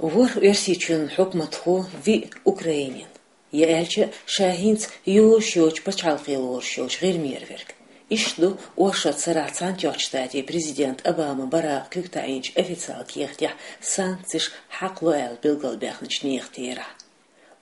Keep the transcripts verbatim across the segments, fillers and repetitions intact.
ВорхӀ Оьрсийчоьнан хьукматхо, виъ Украинин. Я аьлча, ша хӀинца йозуш йоцчу пачхьалкхе лоруш йолчу ГӀирмера верг. Иштта ду оршот сарахь Цхьаьнатоьхначу Штатийн президент Обама Баракъа куьг таӀийначу официалан кехатехь санкцеш хьакхало аьлла билгалбаьхначу нехан терахь.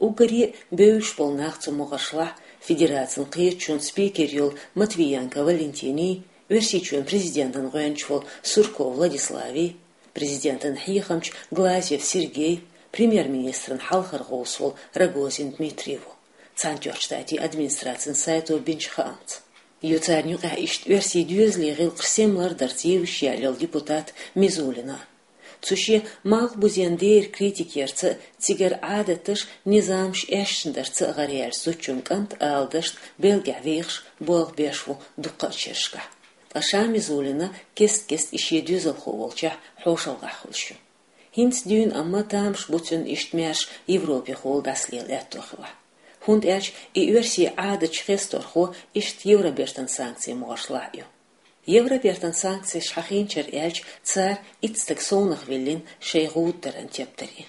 Уггаре а бевзаш болу нах цу могӀаршлахь, Федерацин кхеташонан спикер йолу Матвиенко Валентиний, Оьрсийчоьнан президентан гӀоьнча волу Сурков Владиславий, президентан хьехамча Глазьев Сергей, премьер-министран хьалхара гӀовс волу Рогозин Дмитрий ву, Цхьаьнатоьхначу Штатийн администрацин сайто бинчу хаамца. Ю царна юкъахь иштта оьрсийн доьзалийн гӀиллакхаш сема лардарца евзаш яьлла йолу депутат Мизулина. Цу шен малхбузен дера критика ярца а, цигара Ӏадаташ, низамаш эшна дарца а гӀараяьллачу зудчун кӀант, ала дашна, Бельгехь вехаш болх беш ву дуккха а шерашкахь. Ткъа ша Мизулина кест-кеста и шен доьзалхо волчохь хьошалгӀахь хуьлуш ю. ХӀинца дуьйна амма тамаш бу цуьнан иштта маьрша Европехула дӀасалела аьтто хилахь. ХӀунда аьлча и оьрсийн Ӏадаташ хесторхо иштта Евробертан санкцийн могӀаршлахь ю. Евробертан санкцеш хьахийначара аьлча, цара итт стаг совнах виллина шайн гӀуда даран тептаре.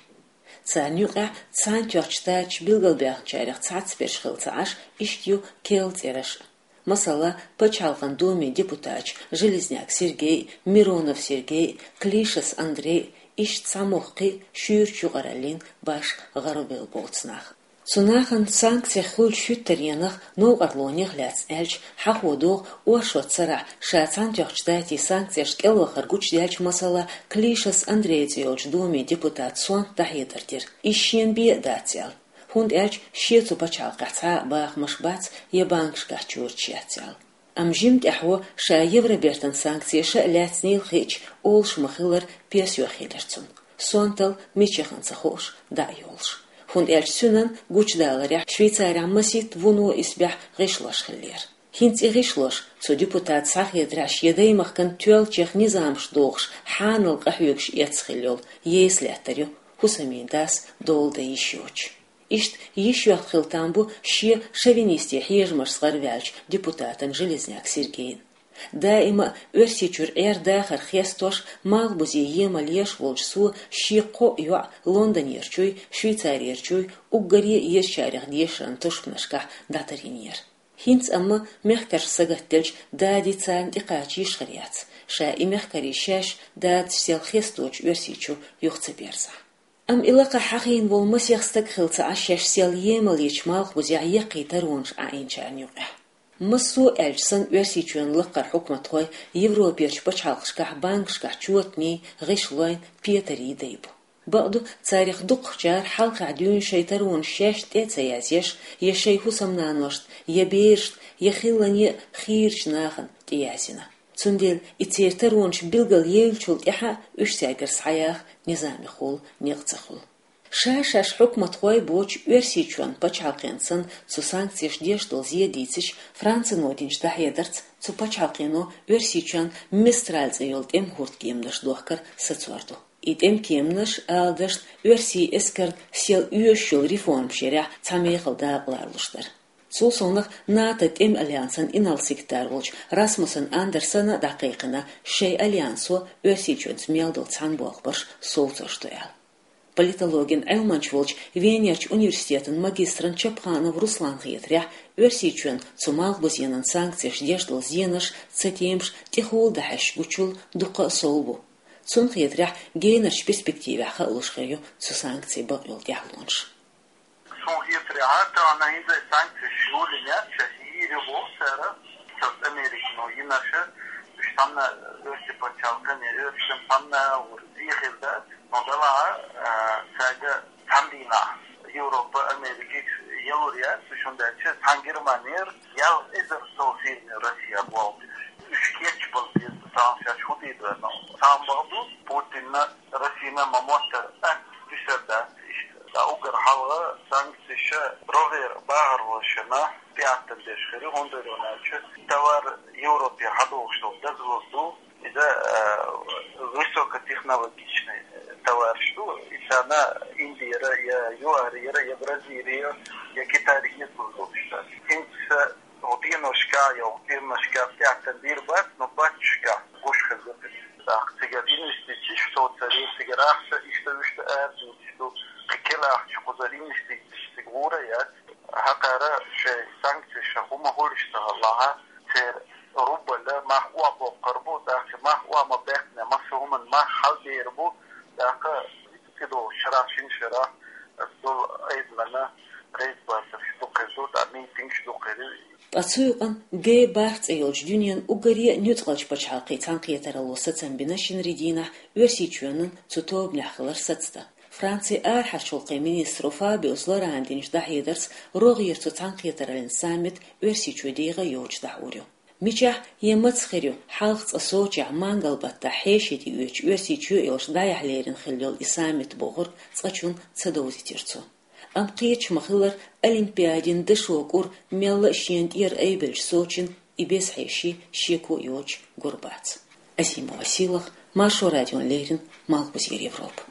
Царна юкъахь Цхьаьнатоьхначу Штаташа билгалбаьхначарех цхьацберш хилла ца Ӏаш, иштта ю керла цӀераш а. Масала, Пачхьалкхан Думин депутаташ Железняк Сергей, Миронов Сергей, Клишас Андрей, иштта цхьа мохк кхин а шуьйрачу юкъараллин башха гӀарабевлла боцу нах. Цу нахана санкцех хуьлучу хӀуьттаренах, новкъарлонех лаьцна аьлча, хьахо догӀу оршот сарахь ша Цхьаьнатоьхначу Штатийн санкцешна кӀелвахар гучудаьлча, масала, Клишас Андрей цӀе йолчу Думин депутата сонта дӀахьедар дира, иза шена бен а дац аьлла, хӀунда аьлча шен цу пачхьалкхехь цхьа а бахамаш бац я банкашкахь чоьташ яц аьлла. Амма жимма тӀаьхьо, ша Евробертан санкцеша а лаьцнийла хиъча, олуш ма-хиллара, пенсио хилира цунна, сонтал мичахана ца хууш дӀа а йолуш. ХӀунда аьлча цуьнан гучудаларехь Швейцарехь масийтта вуно исбаьхьа гӀишлош хиллера. ХӀинца и гӀишлош, цу депутата схьахетарехь, шен даймахкана тоьллачех низамаш дохуш, хьанал къахьоьгуш эцна хилла йолу ейса лаьттар ю, хӀусамийн дас дола дан йиш йоцуш. Иштта йиш йоьхна хилла там бу шен шовинистийн хьежамашца гӀараваьллачу депутатан Железняк Сергейн. Даима а Оьрсийчуьра Ӏер-дахар хестош, малхбузе емал еш волчу цо шен кхоъ йоӀ Лондонерчуй, Швейцарерчуй, уггаре а езачарех дешаран тушпанашкахь дӀатарйинера. ХӀинца амма мехкаршка сагатделча, дади царна тӀекхача йишхир яц, ша и мехкарий шаьш дадас сел хесточу Оьрсийчу юха ца берзахь. Амма и лакхахь хьахийна волу масех стаг хилла ца Ӏаш, шаьш сел емал йечу малхбузехь яккхий таронаш Ӏаийначарна юкъахь. Массо а аьлча санна, Оьрсийчоьнан лакхара хьукматхой Европерчу пачхьалкхашкахь банкашкахь чотаний, гӀишлойн, петарий дай бу. Бакъду, царех дукхахчара хьалхахь дуьйна шайн таронаш шаьш тӀе а ца язъеш, я шайн хӀусамнаношна, я берашна, я хиллане а хийрачу нахана тӀеязйина. Цундела и церан таронаш билгал евллачул тӀаьхьа уьш цаьргара схьаяха низамехула некъ ца хуьлу. Ша-шаьш хьукматхой боцуш, Оьрсийчоьнан пачхьалкхенна санна, цу санкцеша деш долу зе дийцича, Францино динчу дӀахьедарца, цу пачхьалкхено Оьрсийчоьнна Мистраль цӀе йолу тӀеман хӀордкеманаш дохкар сацор ду. И тӀеман кеманаш, ала дашна, оьрсийн эскарна сел оьшуш йолу реформаш ярехь цхьа мехала дакъа ларалуш дара. Цул совнах, НАТО тӀеман альянсан инарла секретарь волчу Расмуссен Андерсена а дӀакхайкхина, шайн альянсо Оьрсийчоьнца мел долу цхьаьна болх барш совцош ду аьлла. Политологин Ӏилманча волчу Венерчу университетан магистран Чапханов Русланан хетарехь, Оьрсийчоьнна цу малхбузенан санкцеша деш долу зенаш, цатемаш тӀехула дӀахьаьжча гучул дуккха а сов бу. Цунна хетарехь, генарчу перспективехь хаалуш хир ю цу санкцийн бакъйолу тӀаьхьалонаш. Суна хетарехь, тахана хӀинца санкцеш юьйлина яц, шаьш йийр ю боху цара, цара Американо йинарш, уьш цхьанна оьрсийн пачхьалкхана, оьрсийн цхьанна вур зе хир дац, но делахь а, цаьрга цхьана дийнахь Европа, Америка ялур яц, уьш хӀунда аьлча цхьана Германера ялх эзар сов фирма Россия болх беш. Уьш кечбала беза, царна шаьш хӀун дийр ду, но царна бакъ ду, Путинна, Россина ма-моттара атта дуьсур дац иштта. Ткъа уггар хьалха санкцеш рогӀера бахархошна тӀеӀаьттина деш хир ю, хӀунда аьлча товар Европе хьадогӀуш долу дозаллалц ду. Иза, э, высокотехнологичный товараш ду, и царна Индера, я ЮАРера, я Бразилера, я Китайра еза лур долуш дац. ХӀинца хӀокху деношкахь я хӀокху фирмашкахь тӀеӀаьттина дийр бац, но батташкахь гуш хир ду. ТӀаккха цигара инвестицеш совцаре, цигара ахча иштта-вуьшта арадуьйцуш. Лиништийташ цига гӀура яц, хӀакхара шоай санкцеш ша хӀума хулаш ца хилалахь, церан рубла мах а боккхар бу, тӀаккха мах а ма баьккхина, масса хӀуманна мах хьалбер бу, тӀаккха цӀи долчу шарахь, шина шарахь, дол айдмана рейд бацарш дукхир ду, тӀаккха митингаш дукхир ю. Ткъа цу юкъанна Г бархӀ цӀе йолчу дуьненан уггаре а нуьцкъалчу пачхьалкхийн цхьаьнакхетаралло сацам бина шинарин дийнахь Оьрсийчоьнан цу тобанехь хилар сацдан. Францин арахьарчу гӀуллакхийн министро Фабиус Лорана динчу дӀахьедарца рогӀера цу цхьаьнакхетараллин саммит Оьрсийчоь дегӀан йоцуш дӀахьур ю. Мичахь я маца хир ю хьалха цкъа Сочехь мангал-баттахь хьеший тӀеоьцуш Оьрсийчоь а йолуш дӀаяхьа лерина хилла йолу и саммит бохург цкъачунна ца довзийтира цо. Амма кхеташ ма-хиллара, Олимпиадин дашо кӀур мелла а шена тӀера айбеллачу Сочин и беза хьеший шеко а йоцуш гур бац. Азимова Сийлаха, Маршо радиона леррина, Малхбузера Европа.